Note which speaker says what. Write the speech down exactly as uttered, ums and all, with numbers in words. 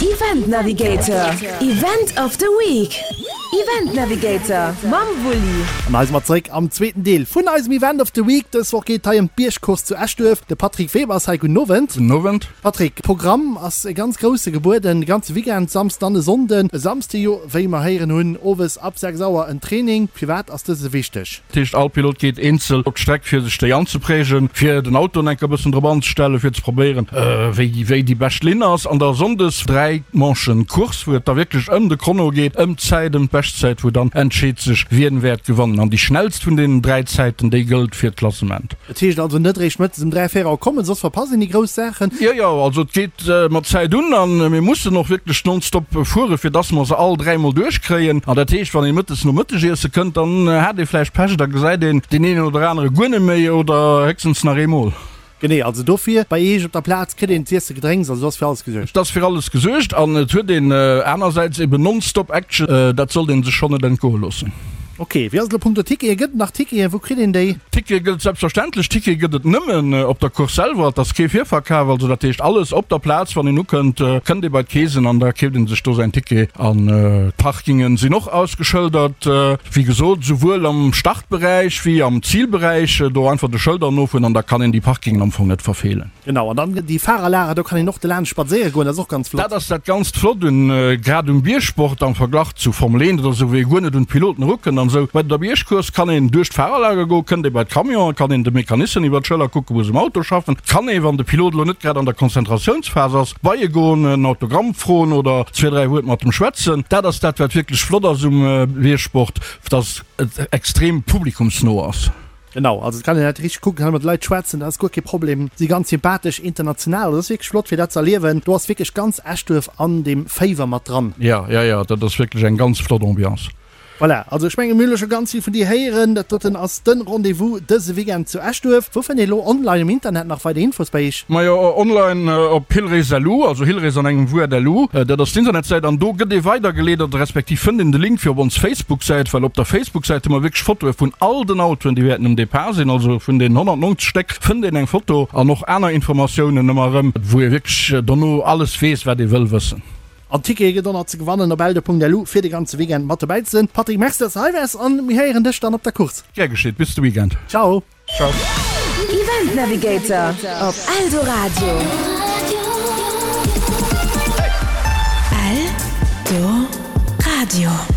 Speaker 1: Event Navigator, Event of the Week. Event Navigator mam Wulli.
Speaker 2: An hei si mer zeréck am zweeten Deel vun eisem Event of the Week. Dës Woch geet et hei ëm d'Biergcourse zu Eschduerf. De Patrick Weber ass hei. Gudden Owend.
Speaker 3: Gudden Owend.
Speaker 2: Patrick, Programm ass e ganz grousse gebueden, de ganze Weekend, Samsden an e Sonnden. E Samsde jo, wéi mer héieren hunn, owes ab sechs Auer en Training. Firwat ass dëse wichteg?
Speaker 3: Dat heescht, all Pilot geet eenzel op d'Streck, fir sech déi anzeprägen, fir den Auto enk e bëssen drop anzestellen, fir ze probéieren, wéi wéi déi bescht Linn ass. An da sonndes dräi Manchen Course, wou et da wierklech ëm de Chrono geet, ëm d'Zäit, ëm d'Beschtzäit, wou dann entscheet sech, wien wäert gewannen. An déi schnellst vun deenen dräi Zäiten, déi gëllt fir d'Klassement.
Speaker 2: Dat heescht also net réischt mëttes um dräi, véier Auer kommen, soss verpasst een déi grouss Saachen.
Speaker 3: Jo, jo, also et geet mat Zäit un a mir mussen och wierklech nonstop fueren, fir dass mer se all dräi mol duerchkréien. An dat heescht, wann ee mëttes nom Mëttegiesse kënnt, dann hat ee vläicht Pech, da gesäit een deen een oder anere guer net méi oder héchstens nach eemol.
Speaker 2: Genee, also dofir, bei Eech op der Plaz kritt een z'iessen, Gedrénks, also do ass fir alles gesuergt.
Speaker 3: Et ass fir alles gesuergt an et huet een anersäits eben nonstop Action, dat sollt ee sech schonn net entgoe loossen.
Speaker 2: Ok, wéi ass et elo punkto Tickete? Gëtt et nach Ticketen? Wou kritt een déi?
Speaker 3: Tickete gëtt et selbstverständlech. Tickete gëtt et nëmmen op der Course selwer. Et ass kee Virverkaf, also dat heescht alles op der Plaz. Wann een ukënnt, kënnt ee bei d'Keesen an da keeft ee sech do säin Ticket. An d'Parkingen sinn och ausgeschëldert, wéi gesot, souwuel am Startberäich wéi am Zilberäich. Do einfach de Schëlder nofueren an da kann een déi Parkingen am Fong net verfeelen.
Speaker 2: Genau, an dann déi Fahrerlager, do kann een och delaanscht spadséiere goen, dat ass och ganz flott.
Speaker 3: Dat ass dat ganzt Flott un, grad um Biergsport am Verglach zu Formel eent oder esou, wou ee guer net un d'Piloten erukënnt an esou. Bei der Biergcourse kann een duerch d'Fahrerlager goen, kënnt ee bei d'Camionen, kann een de Mecanissen iwwer d'Schëller kucken, wou se um Auto schaffen, kann ee, wann de Pilot elo net grad an der Konzentratiounsphas ass, bei e goen, en Autogramm froen oder zwee, dräi Wuert mat em schwätzen. Dat ass dat, wat wierklech flott ass um Biergsport, dass et extrem publikumsno ass.
Speaker 2: Genau, also et kann een dat richteg kucken, kann mat de Leit schwätzen, dat ass guer kee Problem. Si ganz sympathesch, international, also dat ass wierklech flott fir dat ze erliewen. Do ass wierklech ganz Eschduerf an deem Féiwer mat dran.
Speaker 3: Jo, jo, jo, dat ass wierklech eng ganz flott Ambiance.
Speaker 2: Voilà, also ech menge mir hunn elo scho ganz vill vun dir héieren. Dat doten ass de Rendez-vous dëse Weekend zu Eschduerf. Wou fënnt een elo online um Internet nach weider Infos bei iech?
Speaker 3: Majo, online op hillrace.lu, also hillrace an engem Wuert lu, dat ass d'Internetsäit an do gëtt ee weidergeleet oder respektiv fënnt een de Link fir op ons Facebook-Säit, well op der Facebook-Säit hu mer wierklech Fotoe vun all den Autoen, déi wäerten um Depart sinn, also vun den honnertneunzeg Stéck fënnt een eng Foto an och aner Informatiounen ëmmer erëm, wou ee wierklech dono alles weess, wat ee wëll wëssen.
Speaker 2: An Tickete gëtt och nach ze gewannen op eldo.lu fir de ganze Weekend mat dobäi ze sinn. Patrick, Merci, dass de hei waars an mir héieren dech dann op der Course.
Speaker 3: Gär geschitt, bis de Weekend.
Speaker 2: Ciao.
Speaker 3: Ciao.
Speaker 1: Event Navigator op Eldoradio. Eldoradio.